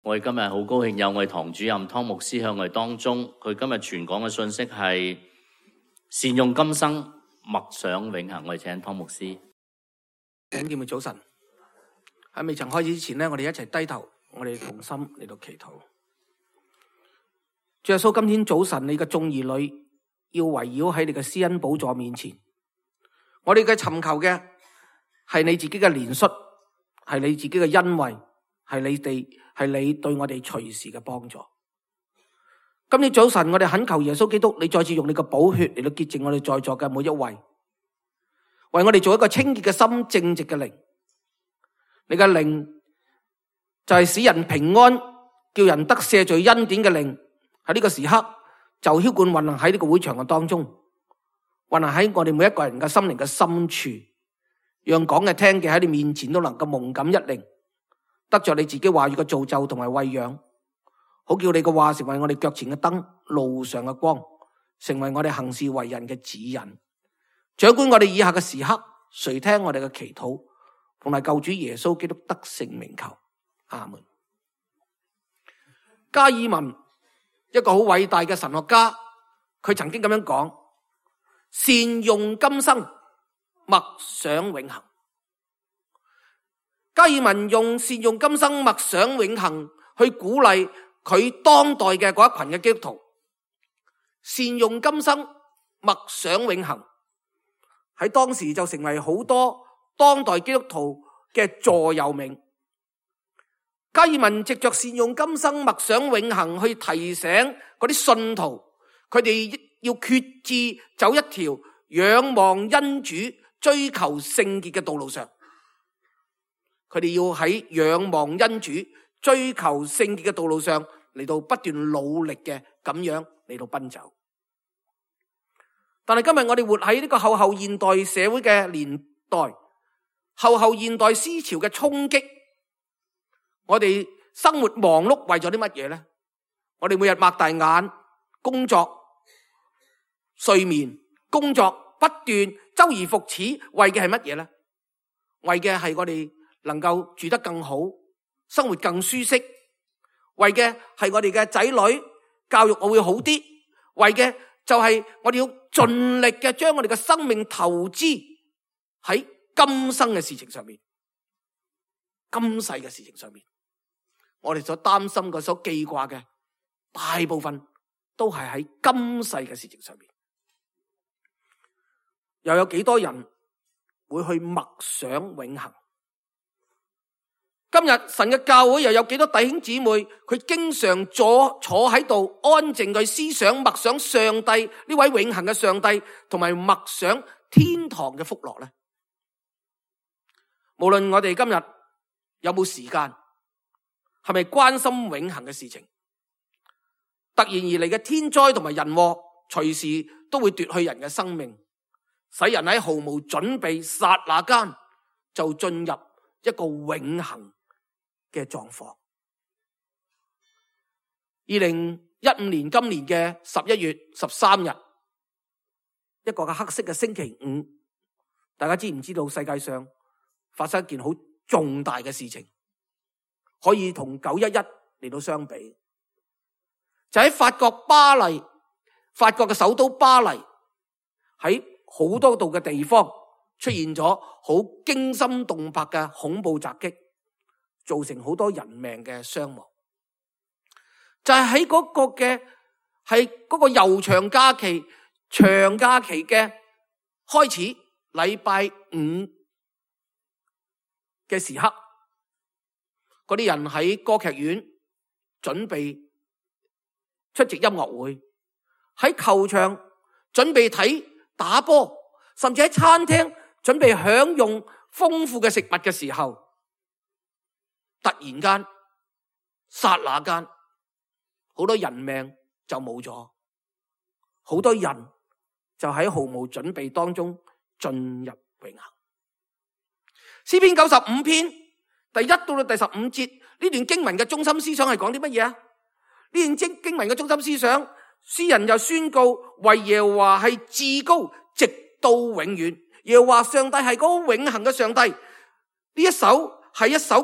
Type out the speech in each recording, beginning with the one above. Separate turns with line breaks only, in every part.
我哋今日好高興有我哋堂主任湯牧師喺我哋當中，佢今日傳講嘅信息係善用今生，默想永恆。我哋請湯牧師。
弟兄姊妹早晨，喺未曾開始之前呢，我哋一齊低頭，我哋同心嚟到祈禱。主耶穌，今天早晨你嘅眾兒女要圍繞喺你嘅施恩寶座面前，我哋嘅尋求嘅係你自己嘅憐恤，係你自己嘅恩惠，係你對我哋隨時嘅幫助。今天早晨我哋懇求耶穌基督，你再次用你嘅寶血嚟到潔淨我哋在座嘅每一位，為我哋做一個清潔嘅心、正直嘅靈。你嘅靈就係使人平安、叫人得赦罪恩典嘅靈，喺呢個時刻就澆灌運行喺呢個會場嘅當中，運行喺我哋每一個人嘅心靈嘅深處，讓講嘅聽嘅喺你面前都能夠蒙感一靈，得着你自己話語嘅造就同埋餵養，好叫你嘅話成為我哋腳前嘅燈，路上嘅光，成為我哋行事為人嘅指引。掌管我哋以下嘅時刻，垂聽我哋嘅祈禱，同埋救主耶穌基督得勝名求，阿門。加爾文一個好偉大嘅神學家，佢曾經咁樣講：善用今生，默想永恆。加爾文用善用今生，默想永恆去鼓勵佢當代嘅嗰一群嘅基督徒。善用今生，默想永恆，喺當時就成為好多當代基督徒嘅座右銘。加爾文藉着善用今生，默想永恆，去提醒嗰啲信徒，佢哋要決志走一條仰望恩主、追求聖潔嘅道路上。佢哋要喺仰望恩主、追求聖潔嘅道路上嚟到不斷努力嘅咁樣嚟到奔走。但係今日我哋活喺呢個後現代社會嘅年代，後現代思潮嘅衝擊，我哋生活忙碌為咗啲乜嘢呢？我哋每日擘大眼工作、睡眠、工作不斷周而復始，為嘅係乜嘢呢？為嘅係我哋能夠住得更好，生活更舒適，為嘅係我哋嘅仔女教育我會好啲，為嘅就係我哋要盡力嘅將我哋嘅生命投資喺今生嘅事情上面，今世嘅事情上面，我哋所擔心嘅、所記掛嘅大部分都係喺今世嘅事情上面。又有幾多人會去默想永恆？今日神嘅教會又有幾多弟兄姊妹，佢經常坐喺度安靜去思想默想上帝呢位永恆嘅上帝，同埋默想天堂嘅福樂呢？無論我哋今日有冇時間，係咪關心永恆嘅事情？突然而嚟嘅天災同埋人禍，隨時都會奪去人嘅生命，使人喺毫無準備剎那間就進入一個永恆嘅狀況。2015年今年嘅11月13日，一個嘅黑色嘅星期五，大家知唔知道世界上發生一件好重大嘅事情，可以同911嚟到相比？就喺法國巴黎，法國嘅首都巴黎，喺好多度嘅地方出現咗好驚心動魄嘅恐怖襲擊，造成好多人命嘅傷亡。就係喺嗰個悠長假期、長假期嘅開始，禮拜五嘅時刻，嗰啲人喺歌劇院準備出席音樂會，喺球場準備睇打波，甚至喺餐廳準備享用豐富嘅食物嘅時候，突然間剎那間好多人命就冇咗，好多人就喺毫無準備當中進入永恆。詩篇95篇第1到第15節，呢段經文嘅中心思想係講啲乜嘢啊？呢段經文嘅中心思想，詩人又宣告為耶和華係至高，直到永遠。耶和華上帝係嗰個永恆嘅上帝。呢一首係一首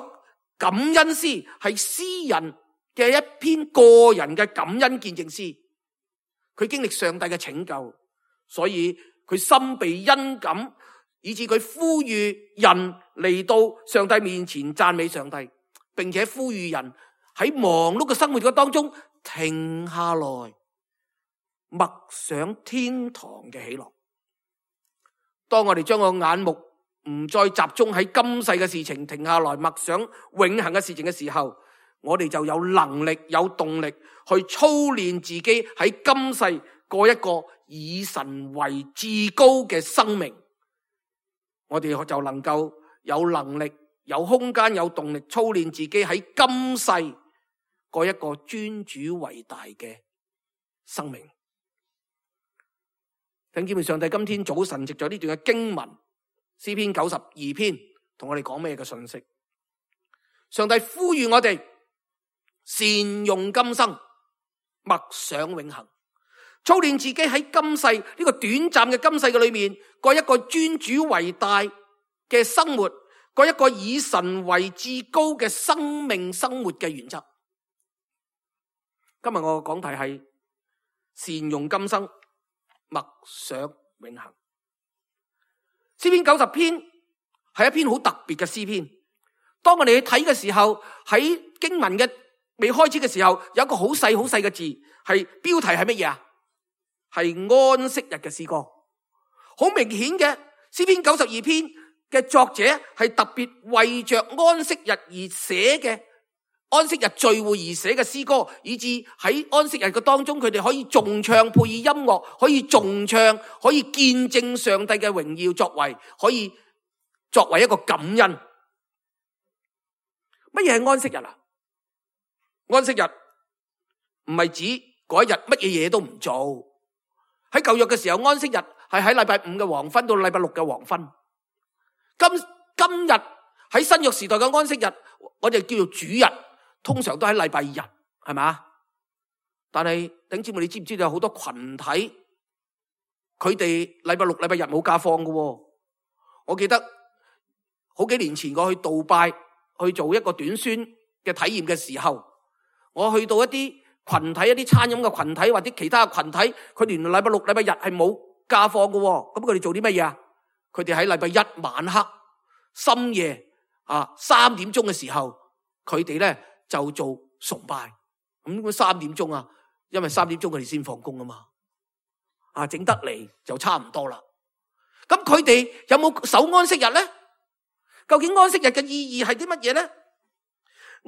感恩詩，係詩人嘅一篇個人嘅感恩見證詩。佢經歷上帝嘅拯救，所以佢心被恩感，以致佢呼籲人嚟到上帝面前讚美上帝，並且呼籲人喺忙碌嘅生活嘅當中停下來默想天堂嘅喜樂。當我哋將個眼目唔再集中喺今世嘅事情，停下來默想永恆嘅事情嘅時候，我哋就有能力有動力去操練自己喺今世過一個以神為至高嘅生命。我哋就能夠有能力有空間有動力操練自己喺今世過一個尊主為大嘅生命。弟兄姊妹，上帝今天早晨藉着呢段嘅經文詩篇92篇同我哋講咩嘅信息？上帝呼籲我哋善用今生，默想永恆，操練自己喺今世呢個短暫嘅今世嘅裏面過一個尊主為大嘅生活，過一個以神為至高嘅生命生活嘅原則。今日我嘅講題係善用今生，默想永恆。詩篇90篇係一篇好特別嘅詩篇。當我哋去睇嘅時候，喺經文嘅未開始嘅時候，有一個好細好細嘅字，係標題係乜嘢啊？係安息日嘅詩歌。好明顯嘅，詩篇92篇嘅作者係特別為着安息日而寫嘅，安息日聚會而寫嘅詩歌，以致喺安息日嘅當中，佢哋可以頌唱配以音樂，可以頌唱，可以見證上帝嘅榮耀作為，可以作為一個感恩。乜嘢係安息日啊？安息日唔係指嗰一日乜嘢嘢都唔做。喺舊約嘅時候，安息日係喺禮拜5嘅黃昏到禮拜6嘅黃昏。今日喺新約時代嘅安息日，我哋叫做主日，通常都喺禮拜日，係咪？但係弟兄姊妹，你知唔知道有好多群體，佢哋禮拜6、禮拜日冇假放嘅？我記得好幾年前我去杜拜去做一個短宣嘅體驗嘅時候，我去到一啲群體，一啲餐飲嘅群體或者其他嘅群體，佢哋連禮拜6、禮拜日係冇假放嘅。咁佢哋做啲乜嘢啊？佢哋喺禮拜1晚黑深夜3點鐘嘅時候，佢哋咧就做崇拜。咁3點鐘啊，因為3點鐘佢哋先放工啊嘛，整得嚟就差唔多啦。咁佢哋有冇守安息日咧？究竟安息日嘅意義係啲乜嘢咧？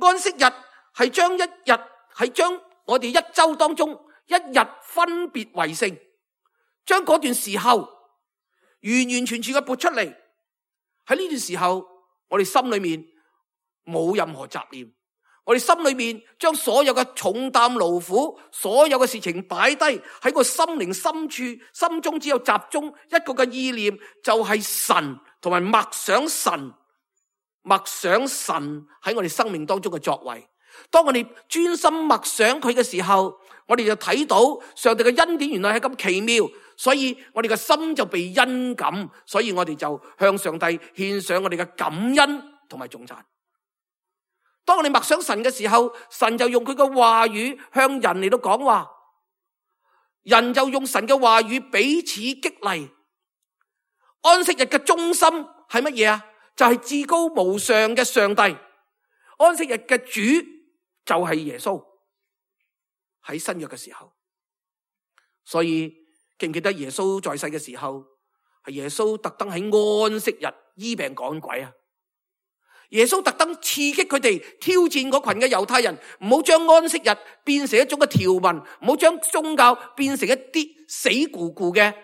安息日係將我哋一周當中一日分別為聖，將嗰段時候完完全全嘅撥出嚟。喺呢段時候，我哋心裏面冇任何雜念，我哋心裏面將所有嘅重擔勞苦，所有嘅事情擺低喺個心靈深處，心中只有集中一個嘅意念，就係神，同埋默想神喺我哋生命當中嘅作為。當我哋專心默想佢嘅時候，我哋就睇到上帝嘅恩典原來係咁奇妙，所以我哋嘅心就被恩感，所以我哋就向上帝獻上我哋嘅感恩同埋頌讚。當我哋默想神嘅時候，神就用佢嘅話語向人嚟到講話，人就用神嘅話語彼此激勵。安息日嘅中心係乜嘢啊？就係至高無上嘅上帝。安息日嘅主就係耶穌。喺新約嘅時候，所以記唔記得耶穌在世嘅時候，係耶穌特登喺安息日醫病趕鬼啊？耶穌特登刺激佢哋，挑戰嗰群嘅猶太人，唔好將安息日變成一種嘅條文，唔好將宗教變成一啲死咕咕嘅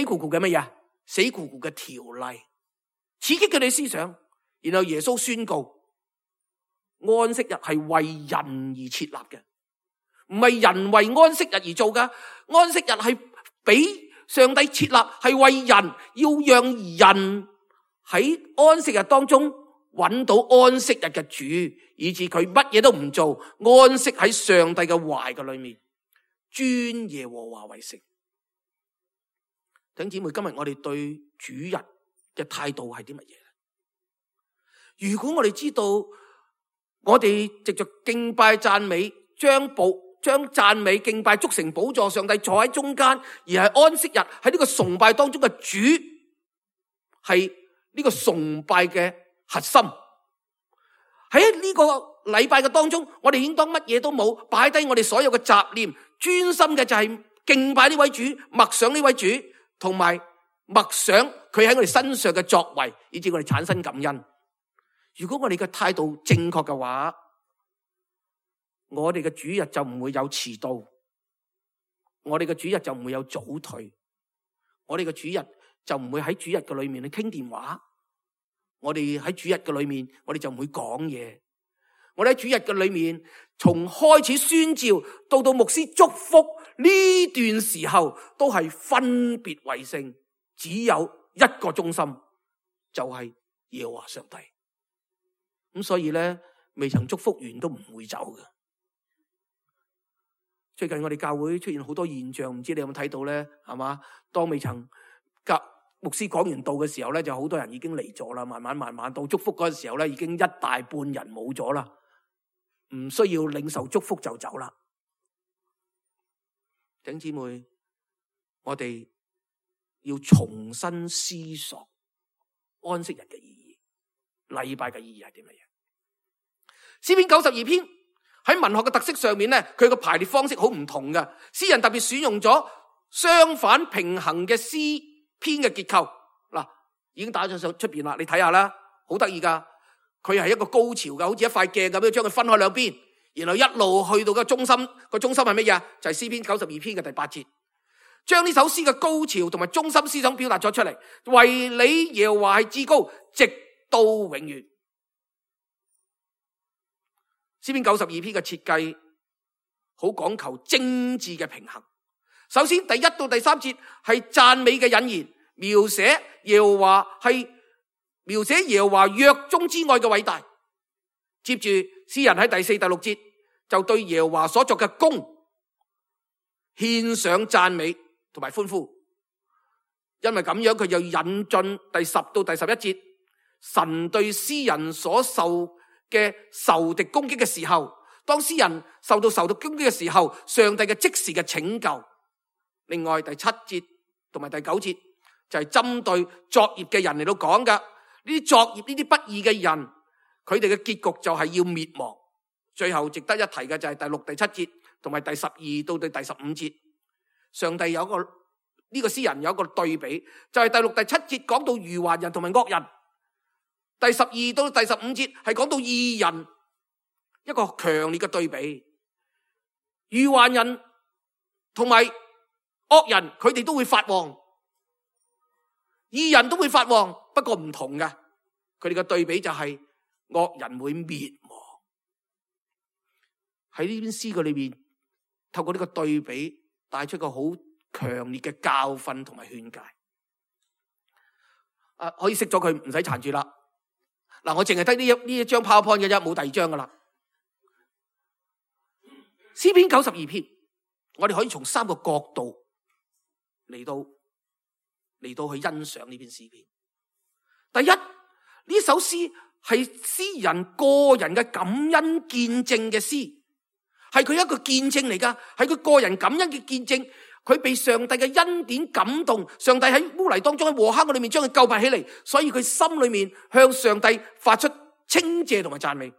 乜嘢？死咕咕嘅條例，刺激佢哋思想。然後耶穌宣告，安息日係為人而設立嘅，唔係人為安息日而做㗎。安息日係俾上帝設立，係為人，要讓人喺安息日當中揾到安息日嘅主，以致佢乜嘢都唔做，安息喺上帝嘅懷嘅裏面，尊耶和華為聖。弟兄姊妹，今日我哋對主日嘅態度係啲乜嘢？如果我哋知道我哋藉着敬拜讚美，將讚美敬拜築成寶座，上帝坐喺中間，而係安息日喺呢個崇拜當中嘅主，係呢個崇拜嘅核心。喺呢個禮拜嘅當中，我哋應當乜嘢都冇，擺低我哋所有嘅雜念，專心嘅就係敬拜呢位主，默想呢位主，同埋默想佢喺我哋身上嘅作為，以致我哋產生感恩。如果我哋嘅態度正確嘅話，我哋嘅主日就唔會有遲到，我哋嘅主日就唔會有早退，我哋嘅主日就唔會喺主日嘅裏面去傾電話，我哋喺主日嘅裏面，我哋就唔會講嘢。我哋喺主日嘅裏面，從開始宣召到牧師祝福呢段時候，都係分別為聖，只有一個中心，就係耶和華上帝。咁所以咧，未曾祝福完都唔會走嘅。最近我哋教會出現好多現象，唔知你有冇睇到咧？係嘛？當未曾牧師講完道嘅時候咧，就好多人已經嚟咗啦。慢慢到祝福嗰陣時候咧，已經一大半人冇咗啦，唔需要領受祝福就走啦。弟兄姊妹，我哋要重新思索安息日嘅意義，禮拜嘅意義係點樣？詩篇92篇喺文學嘅特色上面咧，佢個排列方式好唔同嘅。詩人特別選用咗相反平衡嘅詩篇嘅結構。嗱，已經打咗上出邊啦，你睇下啦，好得意噶。佢係一個高潮嘅，好似一塊鏡咁樣，將佢分開兩邊，然後一路去到個中心。個中心係乜嘢？就係詩篇92篇嘅第8節，將呢首詩嘅高潮同埋中心思想表達咗出嚟。為你耶和華係至高，直到永遠。詩篇92篇嘅設計好講求精緻嘅平衡。首先第1到第3節係讚美嘅引言，描寫耶和華約中之愛嘅偉大。接住詩人喺第4、第6節就對耶和華所作嘅功獻上讚美同埋歡呼。因為咁樣佢就引進第10到第11節，神對詩人所受嘅仇敵攻擊嘅時候，當詩人受到仇敵攻擊嘅時候，上帝嘅即時嘅拯救。另外第7節同埋第9節就係針對作孽嘅人嚟到講噶。呢啲作孽呢啲不義嘅人，佢哋嘅結局就係要滅亡。最後值得一提嘅就係第6、第7節同埋第12到第15節，上帝有一個呢個詩人有一個對比，就係第6、第7節講到愚頑人同埋惡人，第12到第15節係講到義人，一個強烈嘅對比。愚頑人同埋惡人，佢哋都會發旺，義人都會發旺，不過唔同嘅，佢哋嘅對比就係惡人會滅亡。喺呢篇詩句裏面，透過呢個對比，帶出個好強烈嘅教訓同埋勸誡。可以熄咗佢，唔使纏住啦。嗱，我淨係得呢一張 PowerPoint 嘅啫，冇第二張噶啦。詩篇92篇，我哋可以從3個角度嚟到去欣賞呢篇詩篇。第一，呢首詩係詩人個人嘅感恩見證嘅詩，係佢一個見證嚟噶，係佢個人感恩嘅見證。佢被上帝嘅恩典感動，上帝喺污泥當中喺禍坑裏面將佢救拔起嚟，所以佢心裏面向上帝發出稱謝同埋讚美。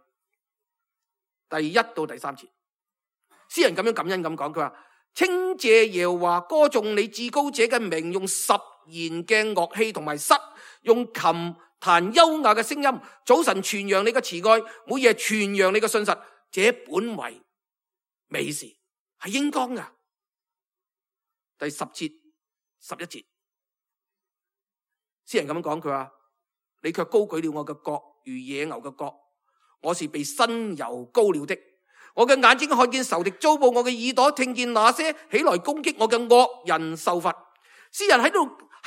第1到第3節，詩人咁樣感恩咁講，佢話稱謝耶和華，歌頌你至高者嘅名，用10弦嘅樂器同埋瑟，用琴彈優雅嘅聲音，早晨傳揚你嘅慈愛，每夜傳揚你嘅信實，這本為美事，係應當噶。第10節、11節，詩人咁樣講，佢話你卻高舉了我嘅角，如野牛嘅角，我是被新油膏了的。我嘅眼睛看見仇敵遭報，我嘅耳朵聽見那些起來攻擊我嘅惡人受罰。詩人喺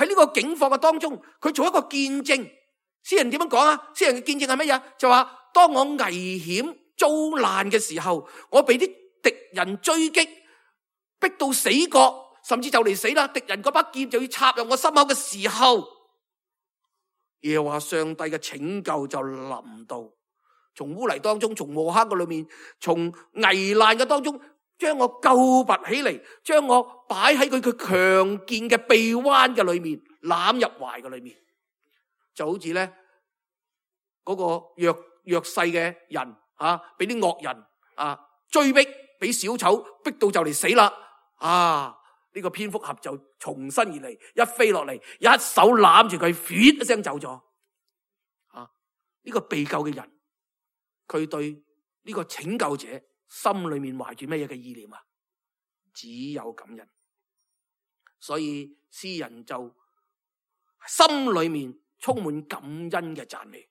呢個境況嘅當中，佢做一個見證。詩人點樣講啊？詩人嘅見證係乜嘢？就話當我危險遭難嘅時候，我被啲敵人追擊，逼到死角，甚至就嚟死啦！敵人嗰把劍就要插入我心口嘅時候，耶和華上帝嘅拯救就臨到，從污泥當中，從禍坑嘅裏面，從危難嘅當中，將我救拔起嚟，將我擺喺佢強健嘅臂彎嘅裏面，攬入懷嘅裏面，就好似咧嗰個弱勢嘅人啊，俾啲惡人啊追逼，俾小丑逼到就嚟死啦啊！呢個蝙蝠俠就從身而嚟，一飛落嚟，一手攬住佢，咇一聲走咗啊！呢個被救嘅人，佢對呢個拯救者心裏面懷住乜嘢嘅意念啊？只有感恩。所以詩人就心裏面充滿感恩嘅讚美，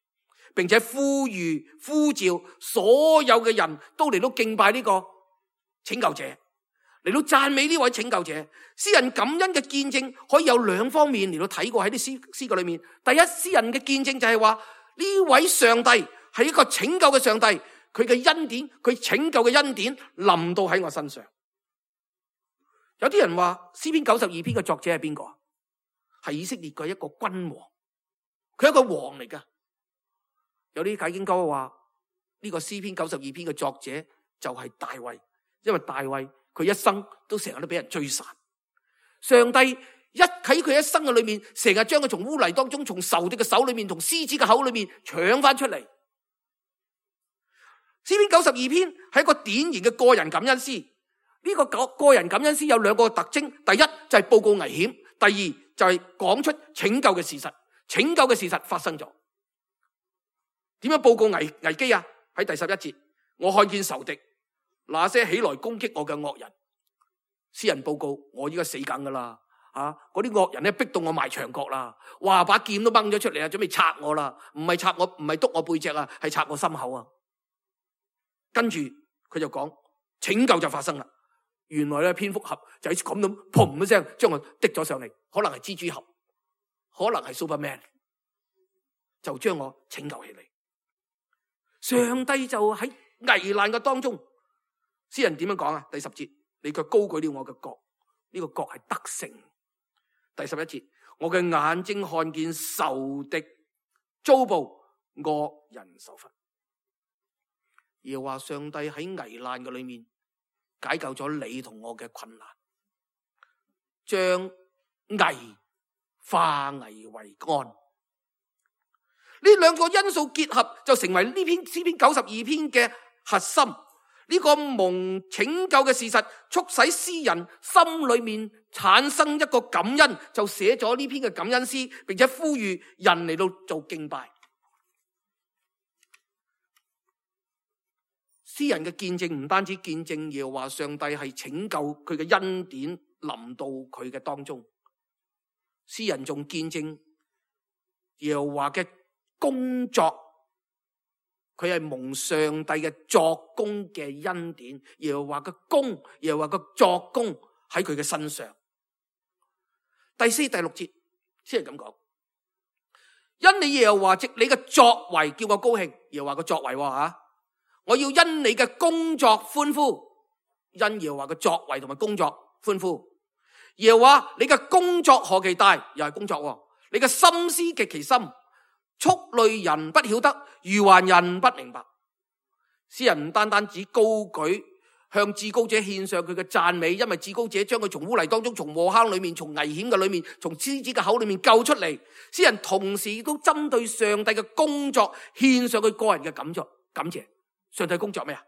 並且呼召所有嘅人都嚟到敬拜呢個拯救者，嚟到讚美呢位拯救者。詩人感恩嘅見證可以有兩方面嚟到睇過喺啲詩句裏面。第一，詩人嘅見證就係話呢位上帝係一個拯救嘅上帝，佢嘅恩典，佢拯救嘅恩典臨到喺我身上。有啲人話詩篇92篇嘅作者係邊個？係以色列嘅一個君王，佢係一個王嚟噶。有啲解經家話呢個詩篇92篇嘅作者就係大衛，因為大衛佢一生都成日都俾人追殺，上帝喺佢一生嘅裏面，成日將佢從污泥當中，從仇敵嘅手裏面，從獅子嘅口裏面搶翻出嚟。詩篇92篇係一個典型嘅個人感恩詩。呢個個人感恩詩有兩個特徵，第一就係報告危險，第二就係講出拯救嘅事實。拯救嘅事實發生咗，點樣報告危機啊？喺第11節，我看見仇敵那些起來攻擊我嘅惡人，詩人報告我依家死梗噶啦，嗰啲惡人咧逼到我埋牆角啦，哇把劍都掹咗出嚟啊，準備插我啦，唔係插我，唔係督我背脊啊，係插我心口啊。跟住佢就講拯救就發生啦。原來咧蝙蝠俠就喺咁樣砰一聲將我滴咗上嚟，可能係蜘蛛俠，可能係 Superman， 就將我拯救起嚟。上帝就喺危難嘅當中，詩人點樣講啊？第10節，你卻高舉了我嘅角，呢個角係得勝。第11節，我嘅眼睛看見仇敵遭報，惡人受罰。耶和華上帝喺危難嘅裏面解救咗你同我嘅困難，將危化危為安。呢兩個因素結合，就成為呢篇詩篇92篇嘅核心。呢個蒙拯救嘅事實，促使詩人心裏面產生一個感恩，就寫咗呢篇嘅感恩詩，並且呼籲人嚟到做敬拜。詩人嘅見證唔單止見證耶和華上帝係拯救佢嘅恩典臨到佢嘅當中，詩人仲見證耶和華嘅工作，佢係蒙上帝嘅作工嘅恩典。耶和華嘅工，耶和華嘅作工喺佢嘅身上。第4、第6節先係咁講，因你耶和華藉你嘅作為叫我高興。耶和華嘅作為我要因你嘅工作歡呼，因耶和華嘅作為同埋工作歡呼。耶和華你嘅工作何其大，又係工作，你嘅心思極其深，畜類人不曉得，愚頑人不明白。詩人唔單單只高舉向至高者獻上佢嘅讚美，因為至高者將佢從污泥當中，從禍坑裏面，從危險嘅裏面，從獅子嘅口裏面救出嚟。詩人同時亦都針對上帝嘅工作獻上佢個人嘅感謝。上帝工作咩啊？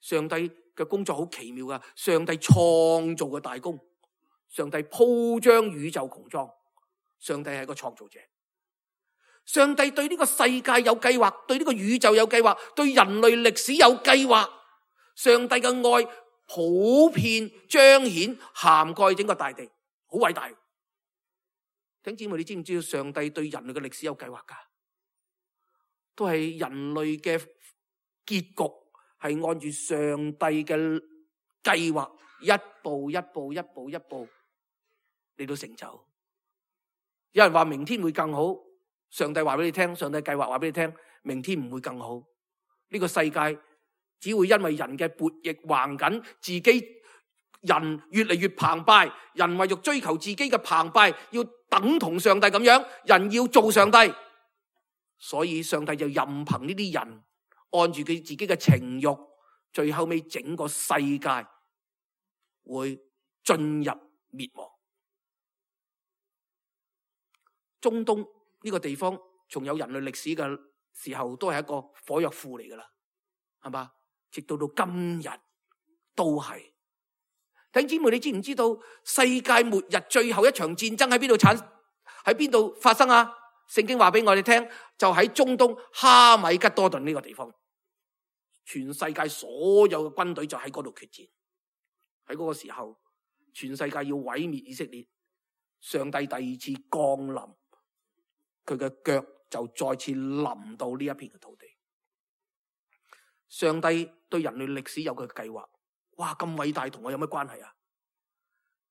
上帝嘅工作好奇妙噶，上帝創造嘅大功，上帝鋪張宇宙穹蒼，上帝係一個創造者。上帝對呢個世界有計劃，對呢個宇宙有計劃，對人類歷史有計劃。上帝嘅愛普遍彰顯涵蓋整個大地，好偉大。弟兄姊妹，你知唔知道上帝對人類嘅歷史有計劃噶？都係人類嘅結局係按住上帝嘅計劃，一步一步嚟到成就。有人話明天會更好，上帝話俾你聽，上帝計劃話俾你聽，明天唔會更好。呢個世界只會因為人嘅悖逆橫緊，自己人越嚟越澎湃，人為咗追求自己嘅澎湃，要等同上帝咁樣，人要做上帝，所以上帝就任憑呢啲人按住佢自己嘅情慾，最後尾整個世界會進入滅亡。中東呢個地方從有人類歷史嘅時候都係一個火藥庫嚟噶啦，係嘛？直到今日都係。弟兄姊妹，你知唔知道世界末日最後一場戰爭喺邊度發生啊？聖經話俾我哋聽，就喺中東哈米吉多頓呢個地方，全世界所有嘅軍隊就喺嗰度決戰。喺嗰個時候，全世界要毀滅以色列，上帝第二次降臨，佢嘅腳就再次臨到呢一片嘅土地。上帝對人類歷史有佢嘅計劃，哇！咁偉大，同我有咩關係啊？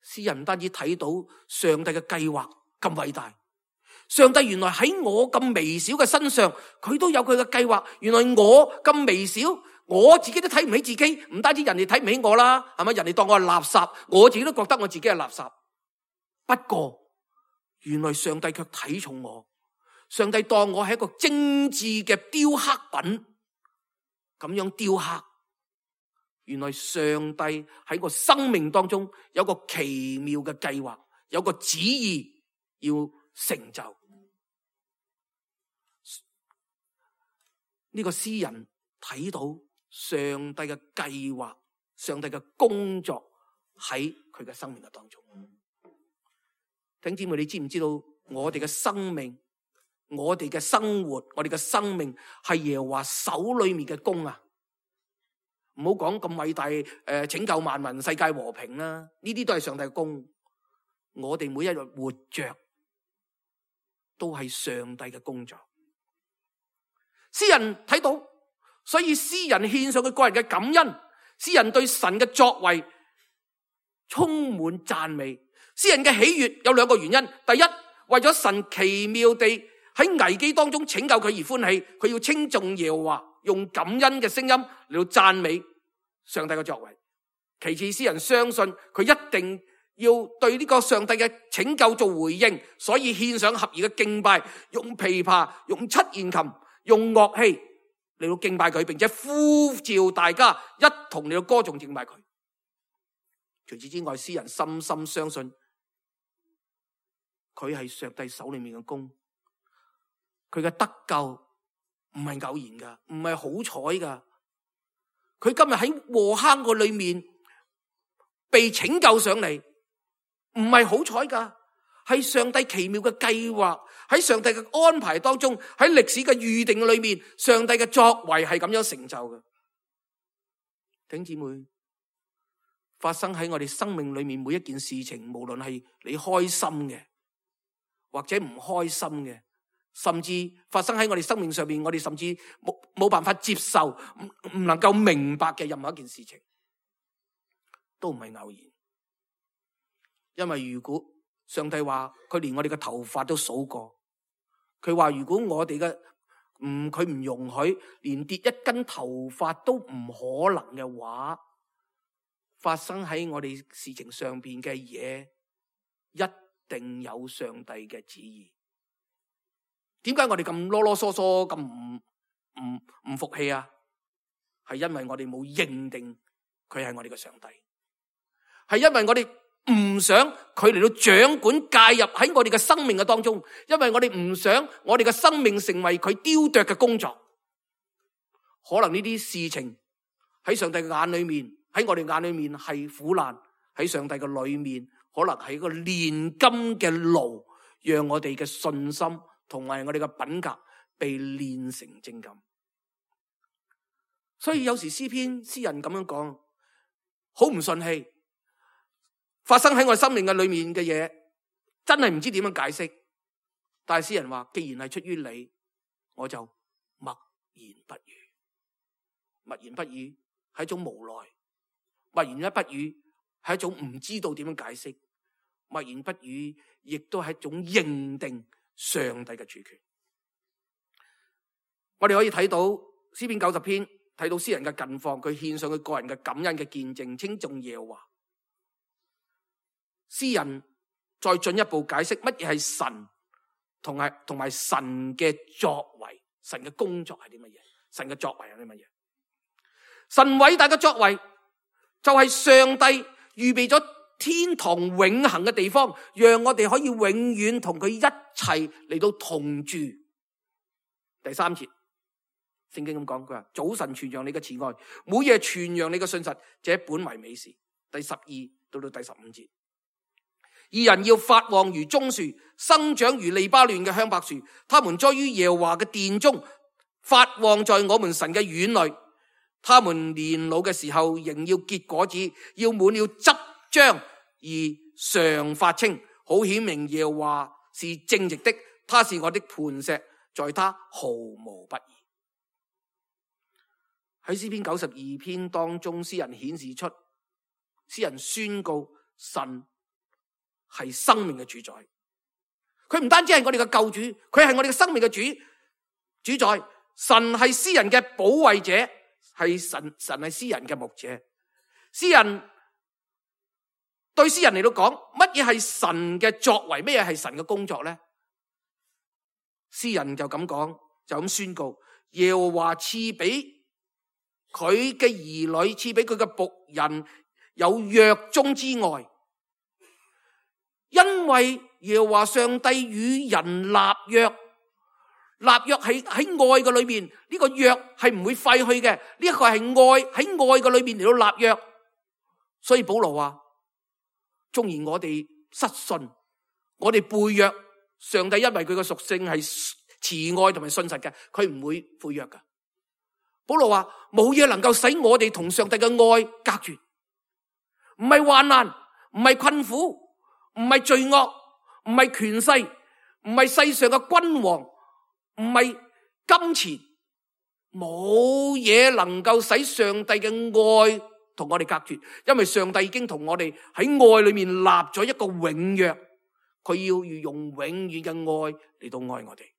詩人唔單止睇到上帝嘅計劃咁偉大，上帝原來喺我咁微小嘅身上，佢都有佢嘅計劃。原來我咁微小，我自己都睇唔起自己，唔單止人哋睇唔起我啦，係咪？人哋當我係垃圾，我自己都覺得我自己係垃圾。不過原來上帝卻睇重我，上帝當我係一個精緻嘅雕刻品，咁樣雕刻。原來上帝喺我生命當中有個奇妙嘅計劃，有個旨意要成就。呢個詩人睇到上帝嘅計劃，上帝嘅工作喺佢嘅生命嘅當中。弟兄姊妹，你知唔知道我哋嘅生命，我哋嘅生活，我哋嘅生命係耶和華手裏面嘅工啊！唔好講咁偉大，拯救萬民、世界和平啦，呢啲都係上帝嘅工。我哋每一日活着都係上帝嘅工作。詩人睇到，所以詩人獻上佢個人嘅感恩，詩人對神嘅作為充滿讚美。詩人嘅喜悅有兩個原因：第一，為咗神奇妙地喺危機當中拯救佢而歡喜，佢要稱頌耶和華，用感恩嘅聲音嚟到讚美上帝嘅作為。其次，詩人相信佢一定要對呢個上帝嘅拯救做回應，所以獻上合宜嘅敬拜，用琵琶、用七弦琴、用樂器嚟到敬拜佢，並且呼召大家一同嚟到歌頌敬拜佢。除此之外，詩人深深相信佢係上帝手裏面嘅工，佢嘅得救唔係偶然噶，唔係好彩噶。佢今日喺禍坑個裏面被拯救上嚟，唔係好彩噶，係上帝奇妙嘅計劃，喺上帝嘅安排當中，喺歷史嘅預定裏面，上帝嘅作為係咁樣成就嘅。弟兄姊妹，發生喺我哋生命裏面每一件事情，無論係你開心嘅或者唔開心嘅，甚至發生喺我哋生命上面，我哋甚至冇辦法接受，唔能夠明白嘅任何一件事情，都唔係偶然。因為如果上帝話佢連我哋嘅頭髮都數過，佢話如果我哋嘅佢唔容許連跌一根頭髮都唔可能嘅話，發生喺我哋事情上邊嘅嘢，一定有上帝嘅旨意。點解我哋咁囉囉嗦嗦咁唔服氣啊？係因為我哋冇認定佢係我哋嘅上帝，係因為我哋唔想佢嚟到掌管介入喺我哋嘅生命嘅當中，因為我哋唔想我哋嘅生命成為佢雕琢嘅工作。可能呢啲事情喺上帝嘅眼裏面，喺我哋眼裏面係苦難，喺上帝嘅裏面可能係一個煉金嘅爐，讓我哋嘅信心同埋我哋嘅品格被煉成精金。所以有時詩人咁樣講，好唔順氣，發生喺我生命嘅裏面嘅嘢，真係唔知點樣解釋。但係詩人話，既然係出於你，我就默言不語。默言不語係一種無奈，默言不語係一種唔知道點樣解釋，默言不語亦都係一種認定上帝嘅主權。我哋可以睇到詩篇90篇，睇到詩人嘅近況，佢獻上佢個人嘅感恩嘅見證，稱頌耶和華。詩人再進一步解釋乜嘢係神，同埋神嘅作為，神嘅工作係啲乜嘢？神嘅作為係啲乜嘢？神偉大嘅作為就係上帝預備咗天堂永恆嘅地方，讓我哋可以永遠同佢一齊嚟到同住。第3節，聖經咁講，佢話早晨傳揚你嘅慈愛，每夜傳揚你嘅信實，這本為美事。第12到第15節，義人要發旺如棕樹，生長如利巴嫩嘅香柏樹，他們栽於耶和華嘅殿中，發旺在我們神嘅院裏。他們年老嘅時候仍要結果子，要滿了汁漿而常發青，好顯明耶和華是正直的，他是我的磐石，在他毫無不義。喺詩篇92篇當中，詩人顯示出，詩人宣告神係生命嘅主宰。佢唔單止係我哋嘅救主，佢係我哋嘅生命嘅主宰。神係詩人嘅保衛者，係神係詩人嘅牧者。詩人對詩人嚟到講，乜嘢係神嘅作為，乜嘢係神嘅工作呢？詩人就咁講，就咁宣告，耶和華賜俾佢嘅兒女，賜俾佢嘅僕人有約中之愛，因為耶和華上帝與人立約。立約喺愛嘅裏面，呢個約係唔會廢去嘅，呢一個係愛喺愛嘅裏面嚟到立約。所以保羅話，縱然我哋失信，我哋背約，上帝因為佢嘅屬性係慈愛同埋信實嘅，佢唔會背約噶。保羅話，冇嘢能夠使我哋同上帝嘅愛隔絕，唔係患難，唔係困苦，唔係罪惡，唔係權勢，唔係世上嘅君王，唔係金錢，冇嘢能夠使上帝嘅愛同我哋隔絕，因為上帝已經同我哋喺愛裏面立咗一個永約，佢要用永遠嘅愛嚟到愛我哋，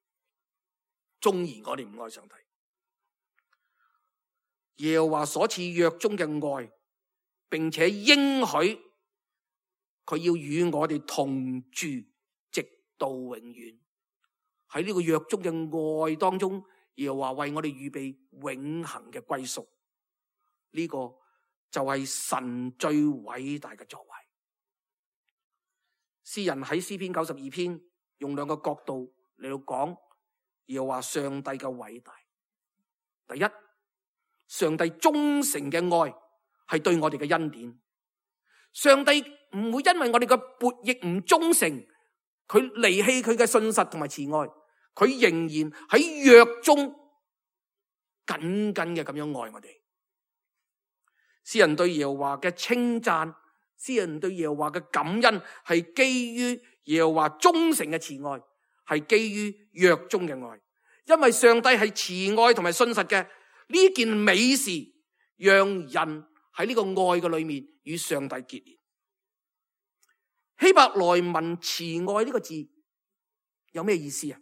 縱然我哋唔愛上帝。耶和華所賜約中嘅愛，並且應許佢要與我哋同住，直到永遠。喺呢個約中嘅愛當中，耶和華為我哋預備永恆嘅歸宿。呢個就係神最偉大嘅作為。詩人喺詩篇92篇用兩個角度嚟到講耶和華上帝嘅偉大。第一，上帝忠誠嘅愛係對我哋嘅恩典。上帝唔會因為我哋嘅悖逆唔忠誠，佢離棄佢嘅信實同埋慈愛，佢仍然喺約中緊緊嘅咁樣愛我哋。詩人對耶和華嘅稱讚，詩人對耶和華嘅感恩，係基於耶和華忠誠嘅慈愛，係基於約中嘅愛。因為上帝係慈愛同埋信實嘅，呢件美事讓人喺呢個愛嘅裏面與上帝結連。希伯來文慈愛呢個字有咩意思啊？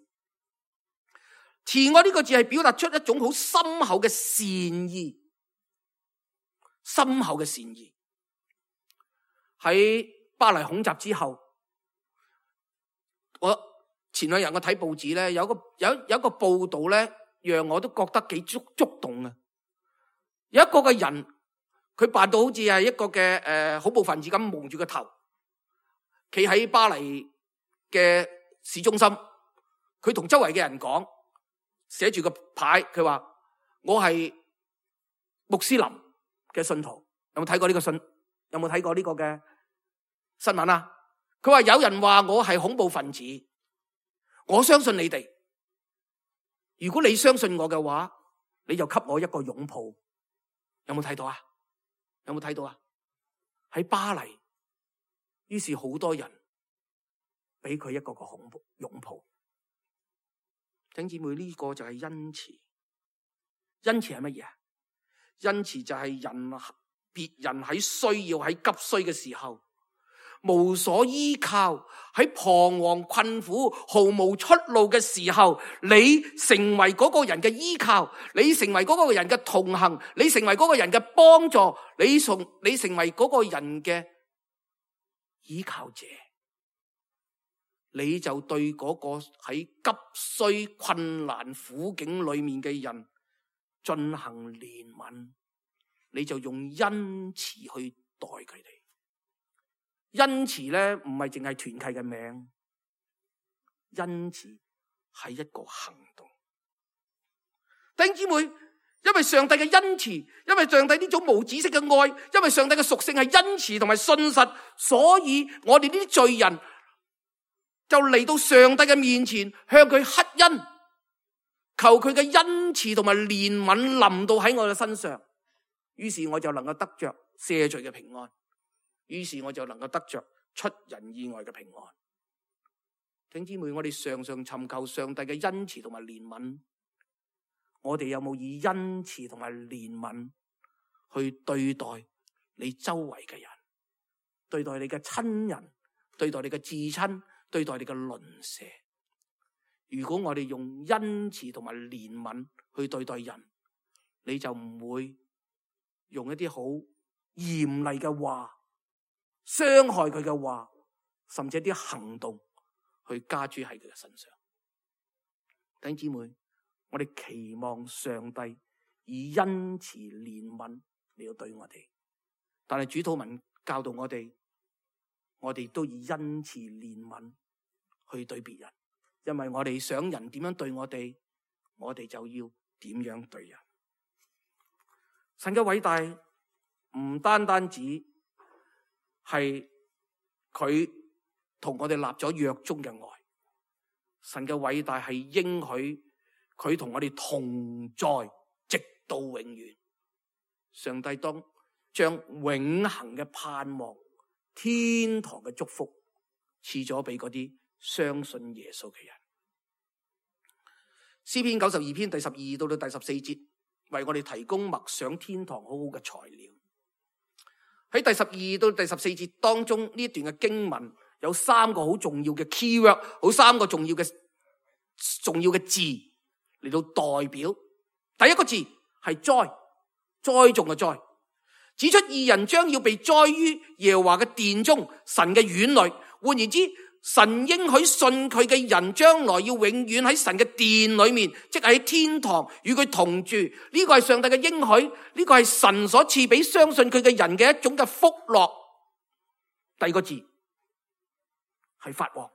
慈愛呢個字係表達出一種好深厚嘅善意，深厚嘅善意。喺巴黎恐襲之後，我前兩日我睇報紙咧，有一個報道咧，讓我都覺得幾觸動啊！有一個嘅人，佢扮到好似係一個嘅恐怖分子咁，蒙住個頭，企喺巴黎嘅市中心，佢同周圍嘅人講，寫住個牌，佢話我係穆斯林嘅信徒。有冇睇過呢個信？有冇睇過呢個嘅新聞啊？佢話有人話我係恐怖分子，我相信你哋。如果你相信我嘅話，你就給我一個擁抱。有冇睇到啊？有冇睇到啊？喺巴黎，於是好多人俾佢一個擁抱。弟兄姊妹，呢個就係恩慈。恩慈係乜嘢啊？恩慈就係別人喺需要、喺急需嘅時候，無所依靠，喺彷徨困苦、毫無出路嘅時候，你成為嗰個人嘅依靠，你成為嗰個人嘅同行，你成為嗰個人嘅幫助，你成為嗰個人嘅依靠者，你就對嗰個喺急需、困難、苦境裏面嘅人進行憐憫，你就用恩慈去待佢哋。恩慈咧唔係淨係團契嘅名，恩慈係一個行動。弟兄姊妹，因為上帝嘅恩慈，因為上帝呢種無止息嘅愛，因為上帝嘅屬性係恩慈同埋信實，所以我哋呢啲罪人就嚟到上帝嘅面前，向佢乞恩，求佢嘅恩慈同埋憐憫臨到喺我嘅身上，於是我就能夠得着赦罪嘅平安，於是我就能夠得着出人意外嘅平安。弟兄姊妹，我哋常常尋求上帝嘅恩慈同埋憐憫，我哋有冇以恩慈同埋憐憫去對待你周圍嘅人，對待你嘅親人，對待你嘅至親，對待你嘅鄰舍？如果我哋用恩慈同埋憐憫去對待人，你就唔會用一啲好嚴厲嘅話，傷害佢嘅話，甚至一啲行動去加諸喺佢嘅身上。弟兄姊妹，我哋期望上帝以恩慈憐憫嚟到對我哋，但係主禱文教導我哋都以恩慈憐憫去對別人，因為我哋想人點樣對我哋，我哋就要點樣對人。神嘅偉大唔單單止係佢同我哋立咗約中嘅愛，神嘅偉大係應許佢同我哋同在，直到永遠。上帝當將永恆嘅盼望、天堂嘅祝福賜咗俾嗰啲相信耶穌嘅人。詩篇92篇第12到第14節，為我哋提供默想天堂好好嘅材料。喺第12到第14節當中，呢段嘅經文有三個好重要嘅 keyword， 好三個重要嘅字嚟到代表。第一個字係栽，栽種嘅栽，指出義人將要被栽於耶和華嘅殿中，神嘅院裏。換言之，神應許信佢嘅人將來要永遠喺神嘅殿裏面，即係喺天堂與佢同住。呢個係上帝嘅應許，呢個係神所賜俾相信佢嘅人嘅一種嘅福樂。第二個字係發旺，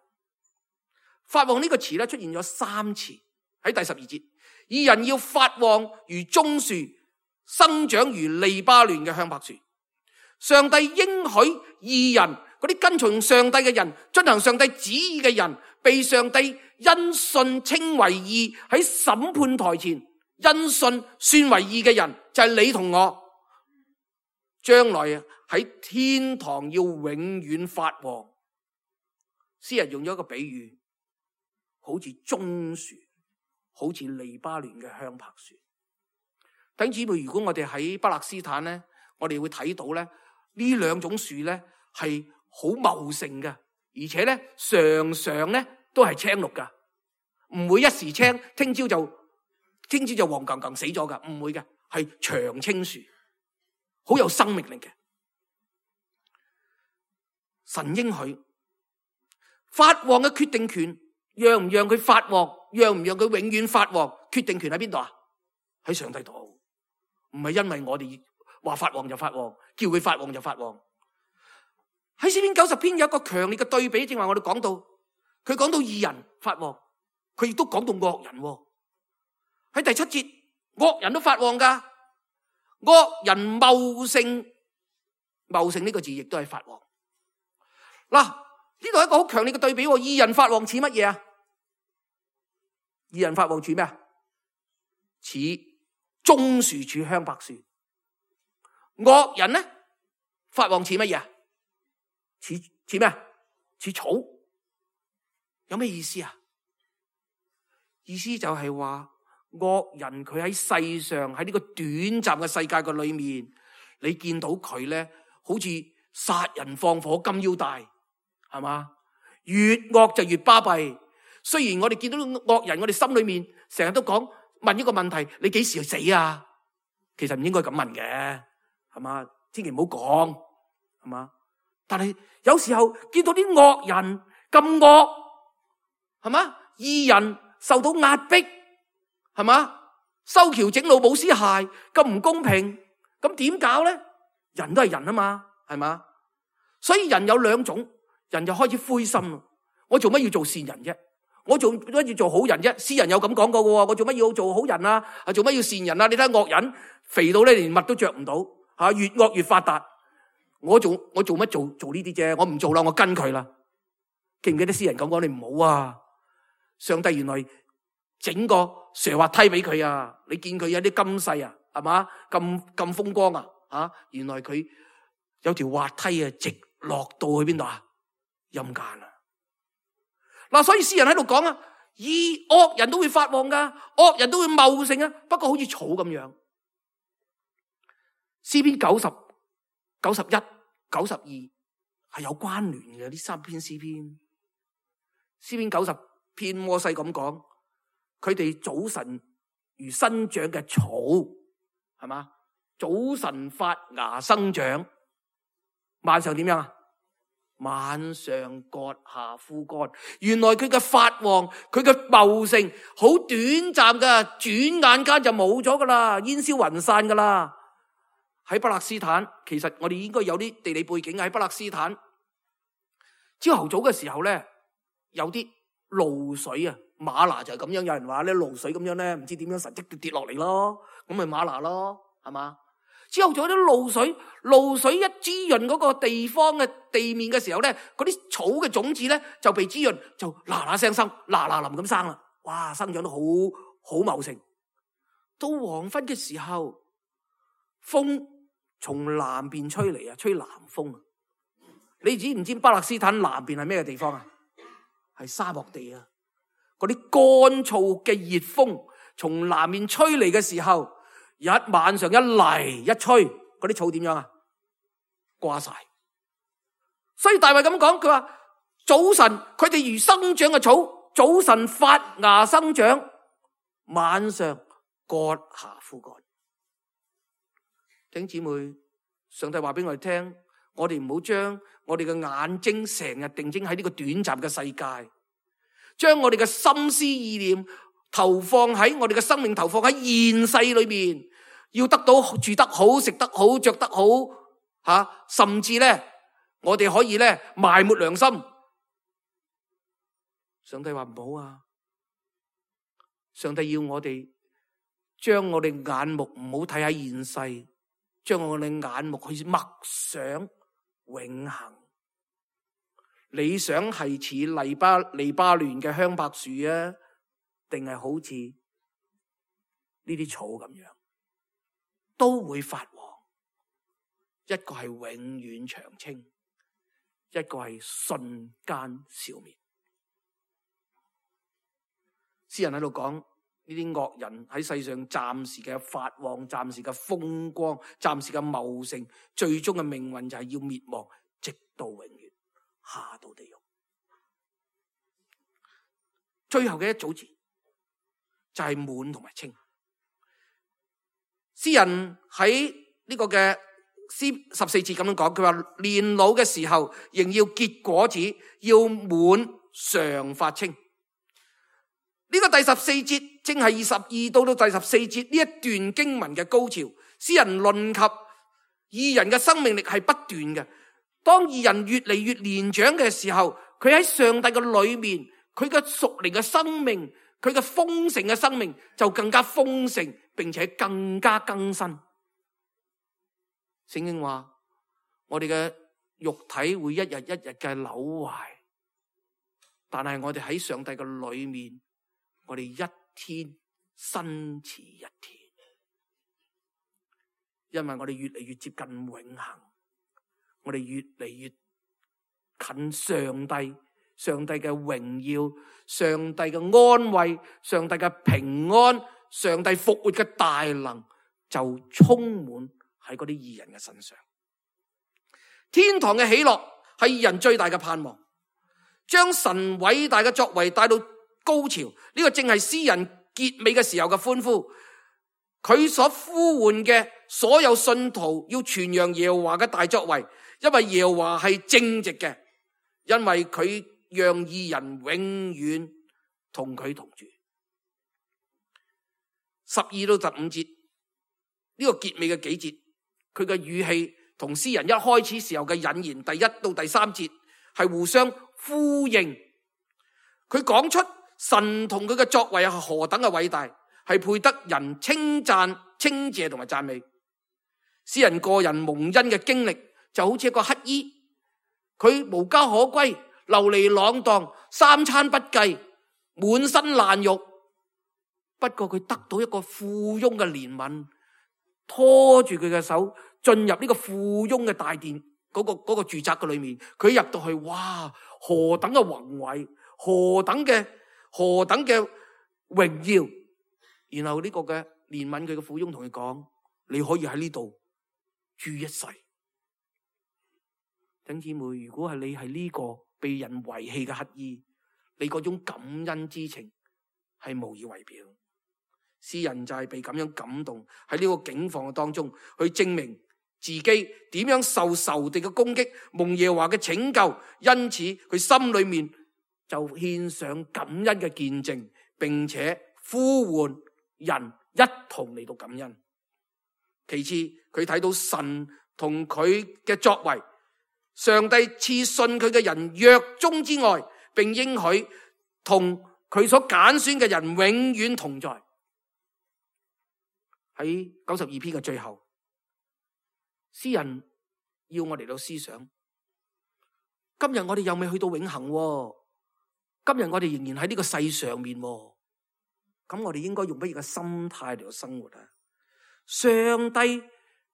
發旺呢個詞咧出現咗3次喺第12節。義人要發旺如棕樹，生長如利巴嫩嘅香柏樹。上帝應許義人，嗰啲跟從上帝嘅人，遵行上帝旨意嘅人，被上帝因信稱為義，喺審判台前因信算為義嘅人，就係你同我，將來喺天堂要永遠發旺。詩人用咗一個比喻，好似棕樹，好似利巴嫩嘅香柏樹。弟兄姊妹，如果我哋喺巴勒斯坦咧，我哋會睇到咧，呢兩種樹咧係好茂盛嘅，而且咧常常咧都係青綠噶，唔會一時青，聽朝就黃更更死咗噶，唔會嘅，係長青樹，好有生命力嘅。神應許發旺嘅決定權，讓唔讓佢發旺，讓唔讓佢永遠發旺，決定權喺邊度啊？喺上帝度，唔係因為我哋話發旺就發旺，叫佢發旺就發旺。喺詩篇90篇有一個強烈嘅對比，正話我哋講到，佢講到義人發旺，佢亦都講到惡人。喺第7節，惡人都發旺噶，惡人茂盛，茂盛呢個字亦都係發旺。嗱，呢度係一個好強烈嘅對比，義人發旺似乜嘢啊？義人發旺似咩啊？似棕樹似香柏樹。惡人呢發旺似乜嘢啊？似咩啊？似草。有咩意思啊？意思就係話惡人佢喺世上，喺呢個短暫嘅世界嘅裏面，你見到佢咧，好似殺人放火金腰帶，係嘛？越惡就越巴閉。雖然我哋見到惡人，我哋心裏面成日都問一個問題：你幾時死啊？其實唔應該咁問嘅，係嘛？千祈唔好講，係嘛？但係有時候見到啲惡人咁惡，係嘛？義人受到壓迫，係嘛？修橋整路冇屍骸，咁唔公平，咁點搞咧？人都係人啊嘛，係嘛？所以人有兩種，人就開始灰心。我做乜要做善人啫？我做乜要做好人啫？詩人有咁講過嘅喎，我做乜要做好人啊？做乜要善人啊？你睇下惡人肥到咧，連襪都着唔到，越惡越發達。我做乜做呢啲啫？我唔做啦，我跟佢啦。記唔記得詩人咁講？你唔好啊！上帝原來整個斜滑梯俾佢啊！你見佢有啲金勢啊，係嘛？咁風光啊！原來佢有條滑梯啊，直落到去邊度啊？陰間啊！嗱，所以詩人喺度講啊，惡人都會發旺噶，惡人都會茂盛啊，不過好似草咁樣。詩篇90、91、92係有關聯嘅，呢三篇詩篇。詩篇90篇摩西咁講，佢哋早晨如生長嘅草，係嘛？早晨發芽生長，晚上點樣啊？晚上割下枯乾。原來佢嘅發旺，佢嘅茂盛好短暫噶，轉眼間就冇咗噶啦，煙消雲散噶啦。喺巴勒斯坦，其實我哋應該有啲地理背景。喺巴勒斯坦，朝頭早嘅時候咧，有啲露水啊，嗎哪就係咁樣。有人話咧，露水咁樣咧，唔知點樣神蹟跌落嚟咯，咁咪嗎哪咯，係嘛？之後仲有啲露水一滋潤嗰個地方嘅地面嘅時候咧，嗰啲草嘅種子咧就被滋潤，就嗱嗱聲生，嗱嗱臨咁生啦，哇，生長得好茂盛。到黃昏嘅時候，風從南邊吹嚟啊，吹南風啊。你知唔知巴勒斯坦南邊係咩地方啊？係沙漠地啊。嗰啲乾燥嘅熱風從南面吹嚟嘅時候，一晚上一嚟一吹，嗰啲草點樣啊？掛晒。所以大衛咁講，佢話早晨佢哋如生長嘅草，早晨發芽生長，晚上割下枯乾。弟兄姊妹，上帝話俾我哋聽，我哋唔好將我哋嘅眼睛成日定睛喺呢個短暫嘅世界，將我哋嘅心思意念投放喺我哋嘅生命，投放喺現世裏面，要得到住得好、食得好、着得好，甚至咧，我哋可以咧埋沒良心。上帝話唔好啊！上帝要我哋將我哋眼目唔好睇喺現世，將我哋眼目去默想永恆。你想係似黎巴嫩嘅香柏樹啊，定係好似呢啲草咁樣，都會發旺。一個係永遠長青，一個係瞬間消滅。詩人喺度講，呢啲惡人喺世上暫時嘅發旺，暫時嘅風光，暫時嘅茂盛，最終嘅命運就係要滅亡，直到永遠，下到地獄。最後嘅一組字就係滿同埋清。詩人喺呢個嘅詩14節咁樣講，佢話年老嘅時候仍要結果子，要滿常發青。呢個第14節正係22到第14節呢一段經文嘅高潮。詩人論及義人嘅生命力係不斷嘅。當義人越嚟越年長嘅時候，佢喺上帝嘅裏面，佢嘅屬靈嘅生命，佢嘅豐盛嘅生命就更加豐盛，並且更加更新。聖經話我哋嘅肉體會一日一日嘅朽壞，但係我哋喺上帝嘅裏面，我哋一天新似一天，因為我哋越嚟越接近永恆，我哋越嚟越近上帝，上帝嘅榮耀，上帝嘅安慰，上帝嘅平安，上帝復活嘅大能就充滿喺嗰啲義人嘅身上。天堂嘅喜樂係義人最大嘅盼望，將神偉大嘅作為帶到高潮，呢個正係詩人結尾嘅時候嘅歡呼。佢所呼喚嘅所有信徒要傳揚耶和華嘅大作為，因為耶和華係正直嘅，因為佢讓義人永遠同佢同住。12到15節呢個結尾嘅幾節，佢嘅語氣同詩人一開始時候嘅引言第1到第3節係互相呼應。佢講出神同佢嘅作為係何等嘅偉大，係配得人稱讚、稱謝同埋讚美。詩人個人蒙恩嘅經歷就好似一個乞衣，佢無家可歸，流離浪蕩，三餐不繼，滿身爛肉。不過佢得到一個富翁嘅憐憫，拖住佢嘅手進入呢個富翁嘅大殿嗰個住宅嘅裏面。佢入到去，哇！何等嘅宏偉，何等嘅榮耀。然後呢個嘅憐憫佢嘅富翁同佢講：你可以喺呢度住一世。弟兄姊妹，如果係你係呢個被人遺棄嘅乞衣，你嗰種感恩之情係無以為表。詩人就係被咁樣感動，喺呢個境況當中去證明自己點樣受仇敵嘅攻擊，蒙耶和華嘅拯救，因此佢心裏面就獻上感恩嘅見證，並且呼喚人一同嚟到感恩。其次，佢睇到神同佢嘅作為，上帝賜信佢嘅人約中之外，並應許同佢所揀選嘅人永遠同在。喺92篇嘅最後，詩人要我嚟到思想，今日我哋又未去到永恆，今日我哋仍然喺呢個世上面，咁我哋應該用乜嘢嘅心態嚟到生活啊？上帝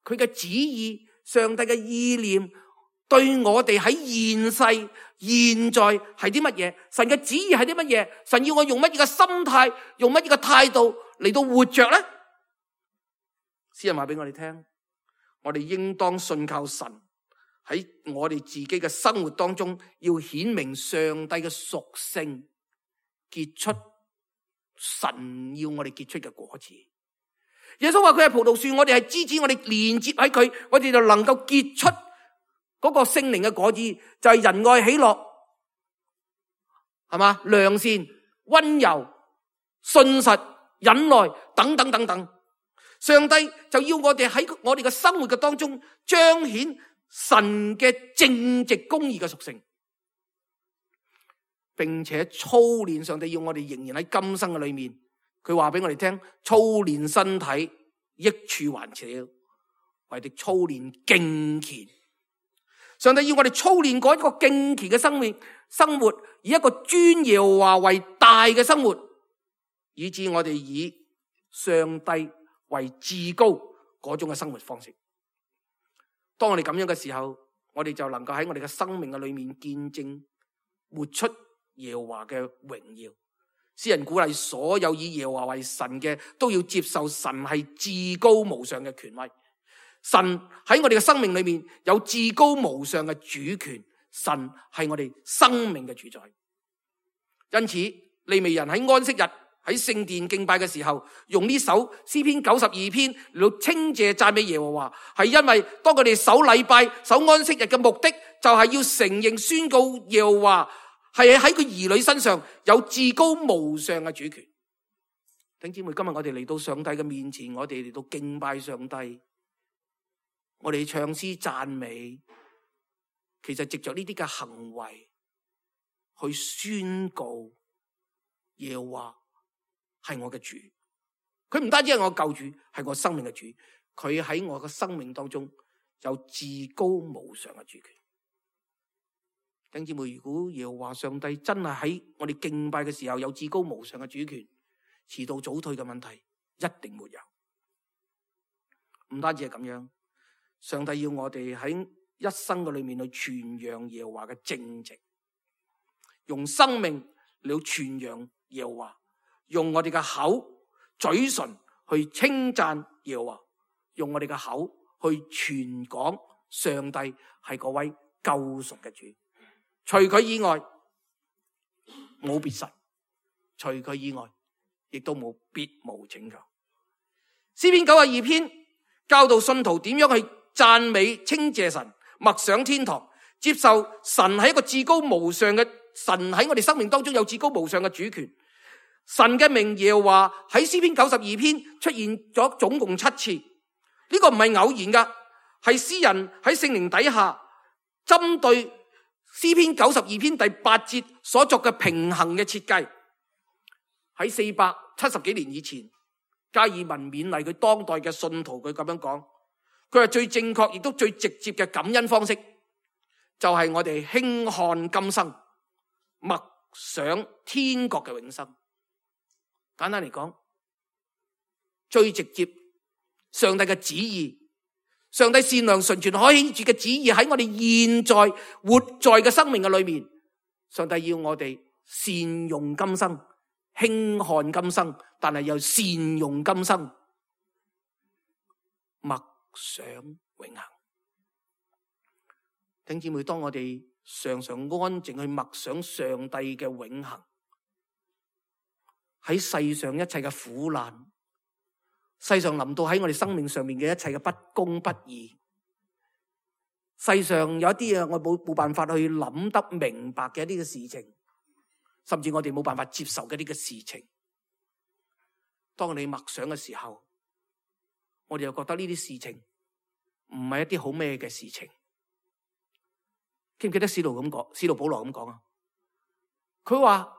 佢嘅旨意，上帝嘅意念對我哋喺現世現在係啲乜嘢？神嘅旨意係啲乜嘢？神要我用乜嘢嘅心態，用乜嘢嘅態度嚟到活着咧？詩人話俾我哋聽，我哋應當信靠神，喺我哋自己嘅生活當中要顯明上帝嘅屬性，結出神要我哋結出嘅果子。耶穌話佢係葡萄樹，我哋係枝子，我哋連接喺佢，我哋就能夠結出嗰個聖靈嘅果子，就係仁愛、喜樂，係嘛？良善、溫柔、信實、忍耐等等等等。上帝就要我哋喺我哋嘅生活嘅當中彰顯神嘅正直公義嘅屬性，並且操練。上帝要我哋仍然喺今生嘅裏面，佢話俾我哋聽，操練身體益處還少，為的操練敬虔。上帝要我哋操練過一個敬虔嘅生活，以一個尊耶和華為大嘅生活，以致我哋以上帝為至高嗰種嘅生活方式。當我哋咁樣嘅時候，我哋就能夠喺我哋嘅生命嘅裏面見證活出耶和華嘅榮耀。詩人鼓勵所有以耶和華為神嘅都要接受神係至高無上嘅權威。神喺我哋嘅生命裏面有至高無上嘅主權，神係我哋生命嘅主宰。因此利未人喺安息日喺聖殿敬拜嘅時候，用呢首詩篇92篇嚟到稱謝讚美耶和華，係因為當佢哋守禮拜、守安息日嘅目的，就係要承認宣告耶和華係喺佢兒女身上有至高無上嘅主權。弟兄姊妹，今日我哋嚟到上帝嘅面前，我哋嚟到敬拜上帝，我哋唱詩讚美，其實藉着呢啲嘅行為去宣告耶和華係我嘅主，佢唔單止係我救主，係我生命嘅主，佢喺我嘅生命當中有至高無上嘅主權。弟兄姊妹，如果耶和華上帝真係喺我哋敬拜嘅時候有至高無上嘅主權，遲到早退嘅問題一定沒有。唔單止係咁樣，上帝要我哋喺一生嘅裏面去傳揚耶和華嘅正直，用生命嚟傳揚耶和華，用我哋嘅口、嘴唇去稱讚耶和華，用我哋嘅口去傳講上帝係嗰位救贖嘅主。除佢以外冇別神，除佢以外亦都冇別無拯救。詩篇92篇教導信徒點樣去讚美稱謝神，默想天堂，接受神係一個至高無上嘅神，喺我哋生命當中有至高無上嘅主權。神嘅名耶和華喺詩篇92篇出現咗總共7次，呢個唔係偶然噶，係詩人喺聖靈底下針對詩篇92篇第8節所作嘅平衡嘅設計。喺470幾年以前，加爾文勉勵佢當代嘅信徒，佢咁樣講，佢話最正確亦都最直接嘅感恩方式，就係我哋輕看今生，默想天國嘅永生。簡單嚟講，最直接上帝嘅旨意，上帝善良純全可喜悅嘅旨意喺我哋現在活在嘅生命嘅裏面，上帝要我哋善用今生，輕看今生，但係又善用今生，默想永恆。弟兄姊妹，當我哋常常安靜去默想上帝嘅永恆，喺世上一切嘅苦難，世上臨到喺我哋生命上面嘅一切嘅不公不義，世上有一啲嘢我冇辦法去諗得明白嘅一啲嘅事情，甚至我哋冇辦法接受嘅一啲嘅事情，當你默想嘅時候，我哋又覺得呢啲事情唔係一啲好咩嘅事情。記唔記得使徒保羅咁講啊？佢話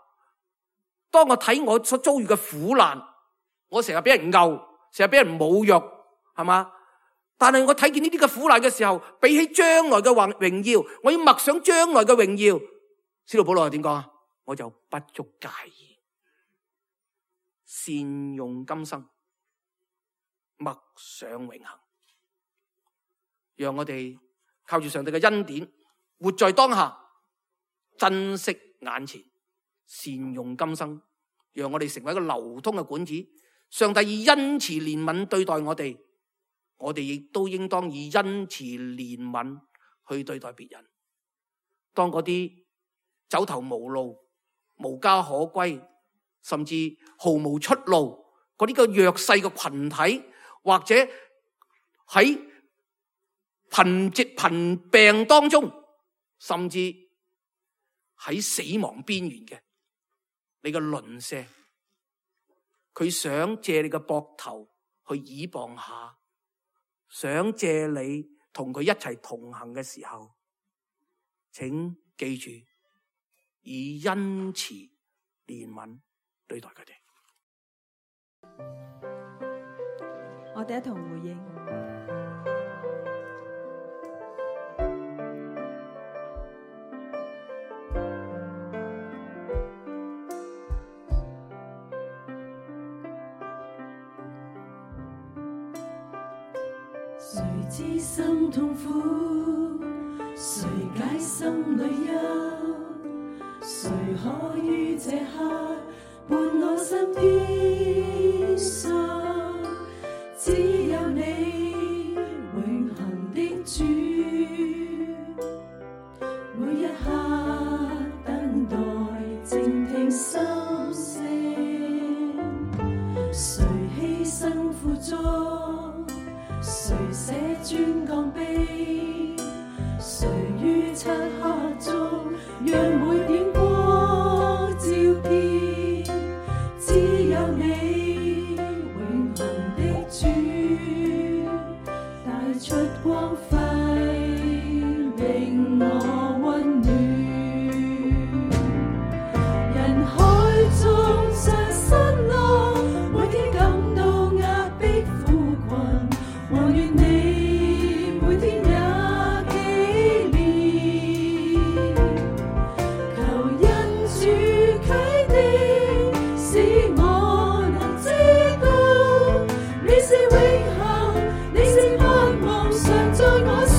當我睇我所遭遇嘅苦難，我成日俾人毆，成日俾人侮辱，係嘛？但係我睇見呢啲嘅苦難嘅時候，比起將來嘅榮耀，我要默想將來嘅榮耀。使徒保羅係點講啊？我就不足介意，善用今生，默想永恆，讓我哋靠住上帝嘅恩典，活在當下，珍惜眼前，善用今生，讓我哋成為一個流通嘅管子。上帝以恩慈憐憫對待我哋，我哋亦都應當以恩慈憐憫去對待別人。當嗰啲走投無路、無家可歸，甚至毫無出路嗰啲個弱勢嘅群體，或者喺貧病當中，甚至喺死亡邊緣嘅你嘅鄰舍，佢想借你嘅膊頭去倚傍下，想借你同佢一齊同行嘅時候，請記住以恩慈憐憫對待佢哋。
我哋一同回應。
誰知心痛苦，誰解心裏憂，誰可於這刻伴我身邊上，只有你永恆的主，每一刻等待靜聽心聲，誰犧牲付出，誰捨尊降卑，誰於漆黑中讓每點光照遍，只有你永恆的主帶出光輝，令我溫暖。人海中常失落，每天感到壓迫苦困，還願你每天也紀念，求恩主啟迪，使我能知道你是永恆，你是盼望常在我心，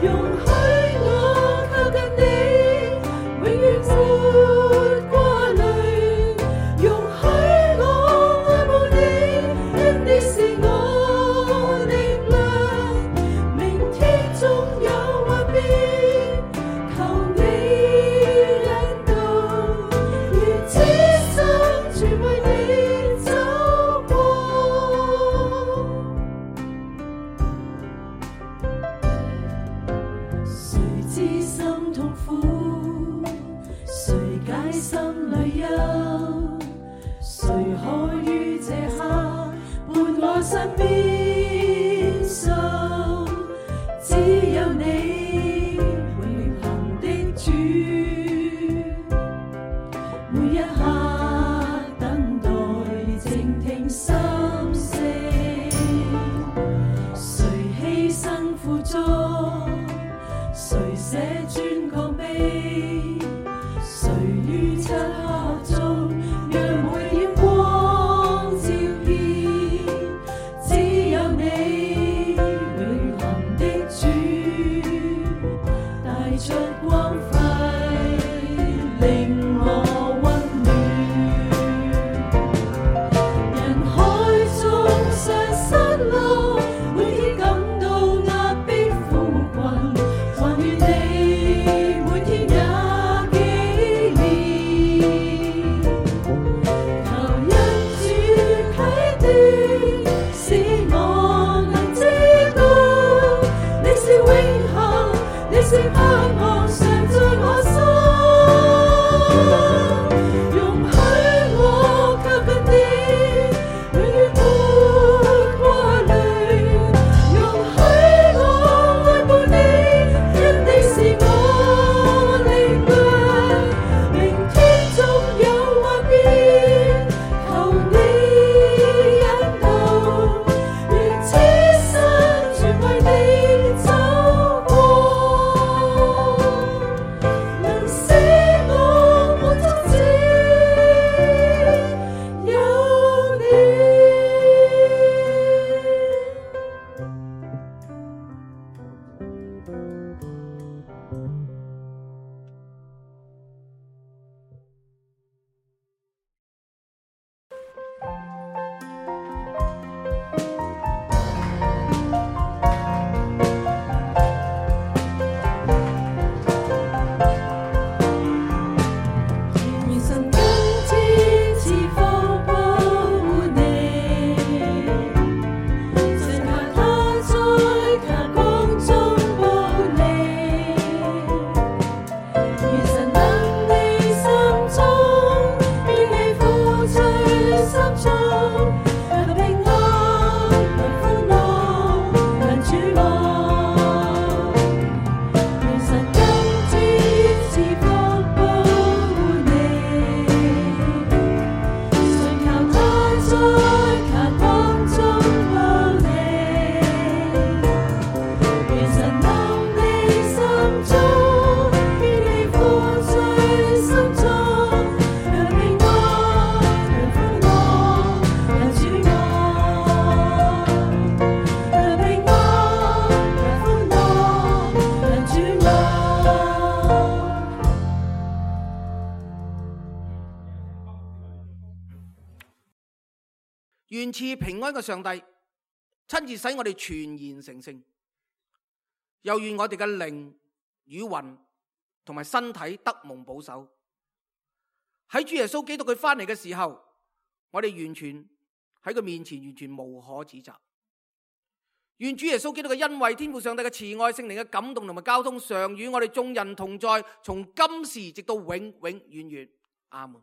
容許我靠近你，永遠沒掛慮，容許我愛慕你，因你是我力量，明天縱有幻變，求你引導，願此生全為你走過。誰知心痛苦，誰解心邊受，只有你永恆的主，每一刻等待靜聽心聲，誰犧牲付出，誰捨尊降卑，誰於漆黑中讓每點光照遍，只有你永恆的主，帶出光輝令我溫暖。人海中常失落，每天感到壓迫苦困，還願你每天也紀念。求恩主啟迪，使我能知道，你是永恆，你是盼望常在我心。容許我靠近你，永遠沒掛慮。容許我愛慕你，因你是我力量。明天縱有幻變，求你引導，願此生全為你走過，能使我滿足只有你。願神今天賜福保護你，神求他在強光中保你。願神能你心中，願你付最心中，讓平安，讓歡樂，讓主愛。願神今天賜福保護你，神求他在強光中保你。願神能你心中，願你付最心中，讓平安，讓歡樂，讓主愛。讓平安，讓歡樂，讓主愛。
願賜平安嘅上帝親自使我哋全然成聖，又願我哋嘅靈與魂同埋身體得蒙保守。喺主耶穌基督佢翻嚟嘅時候，我哋完全喺佢面前完全無可指責。願主耶穌基督嘅恩惠、天父上帝嘅慈愛、聖靈嘅感動同埋交通，常與我哋眾人同在，從今時直到永永遠遠。阿門。